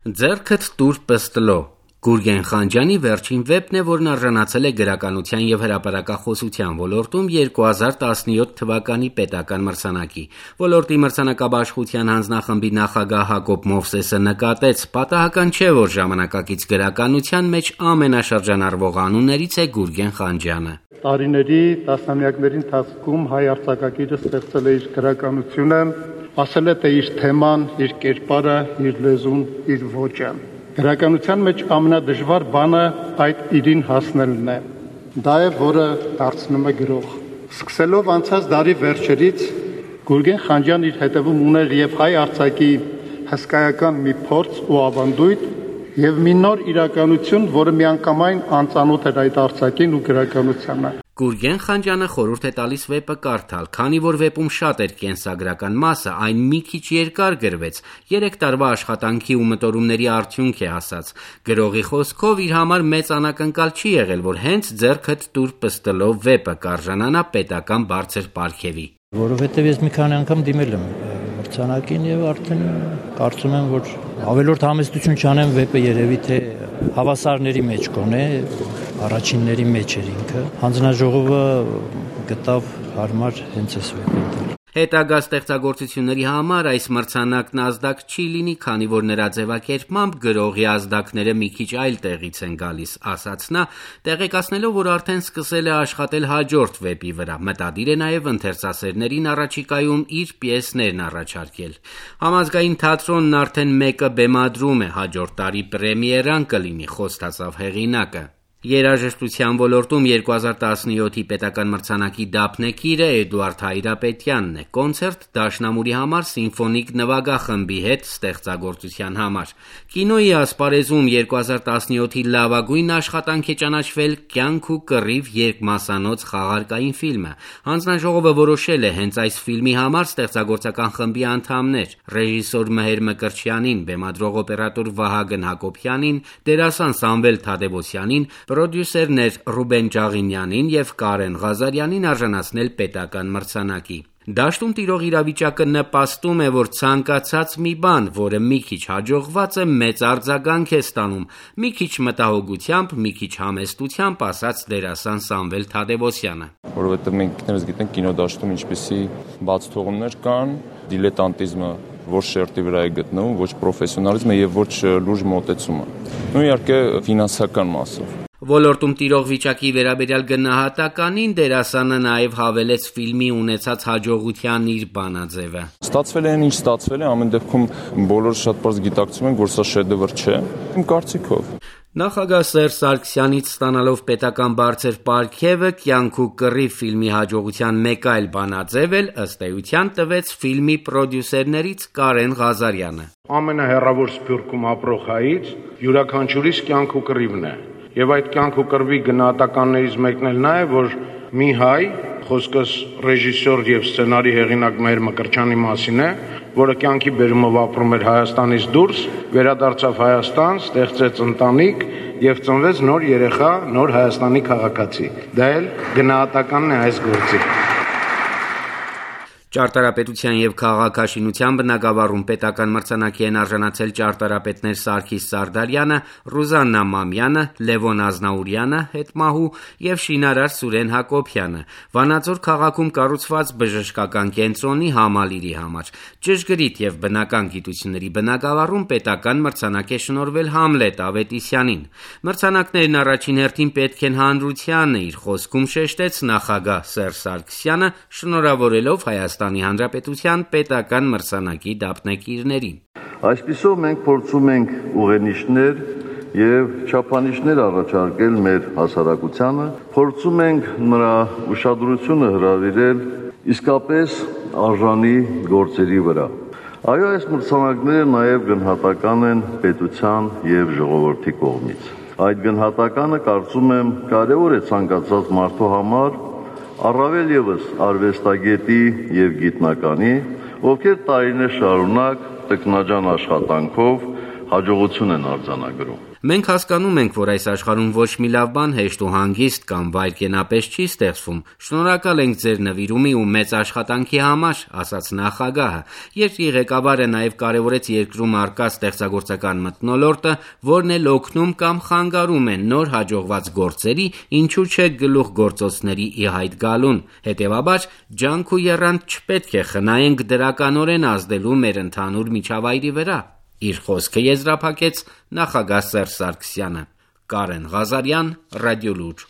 Ձեռքդ տուր պստլո Գուրգեն Խանջյանի վերջին վեպն է, որն արժանացել է գրականության և հրապարակախոսության ոլորտում 2017 թվականի պետական մրցանակի։ Ոլորտի մրցանակաբաշխության հանձնախմբի նախագահ Հակոբ Մովսեսը նկատեց. պատահական չէ, որ ժամանակակից գրականության մեջ ամենաշրջանառվող անուններից է Գուրգեն Խանջյանը։ Տարիների, տասնամյակների ընթացքում հայ արձակագիրը ստեղծել է իր գրականությունը, ասել է, թե իր թեման, իր կերպարը, իր լեզուն, իր ոճը։ Գրականության մեջ ամենադժվար բանը այդ իրին հասնելն է։ Դա է, որը դարձնում է գրող։ Սկսելով անցած դարի վերջերից Գուրգեն Խանջյանն իր հետևում ուներ եւ հայ արձակի հսկայական մի փորձ ու ավանդույթ եւ մի նոր իրականություն, որը միանգամայն անծանոթ էր այդ արձակին ու գրականությանը։ Գուրգեն Խանջյանը խորհուրդ է տալիս վեպը կարդալ, քանի որ վեպում շատ էր կենսագրական մասը, այն մի քիչ երկար գրվեց, 3 տարվա աշխատանքի ու մտորումների արդյունք է ասած։ Գրողի խոսքով իր համար մեծ անակնկալ չի եղել, որ հենց ձեռքդ տուր պստլով վեպը կարժանանա պետական բարձր պարգևի։ Որովհետև ես մի քանի անգամ դիմել եմ մրցանակին եւ արդեն կարծում եմ, որ ավելորդ համեստություն չանեմ, վեպը երևի թե հավասարների մեջ կոնե, առաջինների մեջ էր ինքը։ Հանձնաժողովը գտավ հարմար հենց այս վեպը։ Հետագա ստեղծագործությունների համար այս մրցանակն ազդակ չի լինի, քանի որ նրա ձևակերպմամբ գրողի ազդակները մի քիչ այլ տեղից են գալիս, ասաց նա, տեղեկացնելով, որ արդեն սկսել է աշխատել հաջորդ վեպի վրա, մտադիր է նաև ընթերցասերներին առաջիկայում իր պիեսներն առաջարկել։ Համազգային թատրոնն արդեն մեկը բեմադրում է, հաջորդ տարի պրեմիերան կլինի, խոստացավ հեղինակը։ Երաժշտության ոլորտում 2017-ի պետական մրցանակի դափնեկիրը Էդուարդ Հայրապետյանն է, կոնցերտ դաշնամուրի համար սիմֆոնիկ նվագախմբի հետ ստեղծագործության համար։ Կինոյի ասպարեզում 2017-ի լավագույն աշխատանք է ճանաչվել «Կյանք ու կռիվ» երկմասանոց խաղարկային ֆիլմը։ Հանձնաժողովը որոշել է հենց այս ֆիլմի համար ստեղծագործական խմբի անդամներ՝ ռեժիսոր Մհեր Մկրտչյանին, բեմադրող օպերատոր Վահագն Հակոբյանին, դերասան Սամվել Թադևոսյանին, պրոդյուսերներ Ռուբեն Ջաղինյանին և Կարեն Ղազարյանին արժանացնել պետական մրցանակի։ Դաշտում տիրող իրավիճակը նպաստում է, որ ցանկացած մի բան, որը մի քիչ հաջողված է, մեծ արձագանք է ստանում, մի քիչ մտահոգությամբ, մի քիչ համեստությամբ, ասաց դերասան Սամվել Թադևոսյանը։ Որովհետև մենք ինքներս գիտենք կինոդաշտում ինչպիսի բացթողումներ կան, դիլետանտիզմը ոչ շերտի վրա է գտնվում, ոչ պրոֆեսիոնալիզմը եւ ոչ լուրջ մոտեցումը։ Ու իհարկե ֆինանսական մասով։ Ոլորտում տիրող վիճակի վերաբերյալ գնահատականին դերասանը նաև հավելեց ֆիլմի ունեցած հաջողության իր բանաձևը։ Ստացվել է այն, ինչ ստացվել է, ամեն դեպքում բոլորը շատ պարզ գիտակցում են, որ սա շեդևր չէ, իմ կարծիքով։ Նախագահ Սերժ Սարգսյանից ստանալով պետական բարձր պարգևը «Կյանք ու կռիվ» ֆիլմի հաջողության մեկ այլ բանաձև էլ ըստ էության տվեց ֆիլմի պրոդյուսերներից Կարեն Ղազարյանը։ Ամենահեռավոր Սփյուռքում ապրող հայից յուրաքանչյուրիս կյանք ու կռիվն է։ Եվ այդ կյանք ու կռվի գնահատականներից մեկն էլ նա է, որ մի հայ, խոսքս ռեժիսոր եւ սցենարի հեղինակ Մհեր Մկրտչյանի մասին է, որը կյանքի բերումով ապրում էր Հայաստանից դուրս, վերադարձավ Հայաստան, ստեղծեց ընտանիք եւ ծնվեց նոր երեխա, նոր Հայաստանի քաղաքացի։ Դա էլ գնահատականն է այս գործի։ Ճարտարապետության և քաղաքաշինության բնագավառում պետական մրցանակի են արժանացել ճարտարապետներ Սարգիս Սարդարյանը, Ռուզաննա Մամյանը, Լևոն Ազնաուրյանը, հետմահու և շինարար Սուրեն Հակոբյանը, Վանաձոր քաղաքում կառուցված բժշկական կենտրոնի համալիրի համար։ Ճշգրիտ և բնական գիտությունների բնագավառում պետական մրցանակ է շնորհվել Համլետ Ավետիսյանին։ Մրցանակներն առաջին հերթին պետք են հանրությանը, իր խոսքում շեշտեց նախագահ Սերժ Սարգսյանը, շնորհավորելով Հայաստանի Հանրապետության պետական մրցանակի դափնեկիրներին։ Այսպիսով մենք փորձում ենք ուղենիշներ եւ չափանիշներ առաջարկել մեր հասարակությանը, փորձում ենք նրա ուշադրությունը հրավիրել իսկապես արժանի գործերի վրա։ Այո, այս մրցանակները նաեւ գնահատական են պետության եւ ժողովրդի կողմից։ Այդ գնահատականը կարծում եմ կարեւոր է ցանկացած մարդու համար, առավել ևս արվեստագետի եւ գիտնականի, ովքեր տարիներ շարունակ տքնաջան աշխատանքով հաջողություն են արձանագրում։ Մենք հասկանում ենք, որ այս աշխարհում ոչ մի լավ բան հեշտ ու հանգիստ կամ վայրկենապես չի ստեղծվում։ Շնորհակալ ենք ձեր նվիրումի ու մեծ աշխատանքի համար, ասաց նախագահը։ Երկրի ղեկավարը նաև կարևորեց երկրում առկա ստեղծագործական մթնոլորտը, որն էլ օգնում կամ խանգարում է նոր հաջողված գործերի, ինչու չէ գլուխգործոցների ի հայտ գալուն։ Հետևաբար, ջանք ու եռանդ չպետք է խնայենք դրականորեն ազդելու մեր ընդհանուր միջավայրի վրա։ Իր խոսքը եզրափակեց նախագահ Սերժ Սարգսյանը։ Կարեն Ղազարյան, Ռադիոլուր։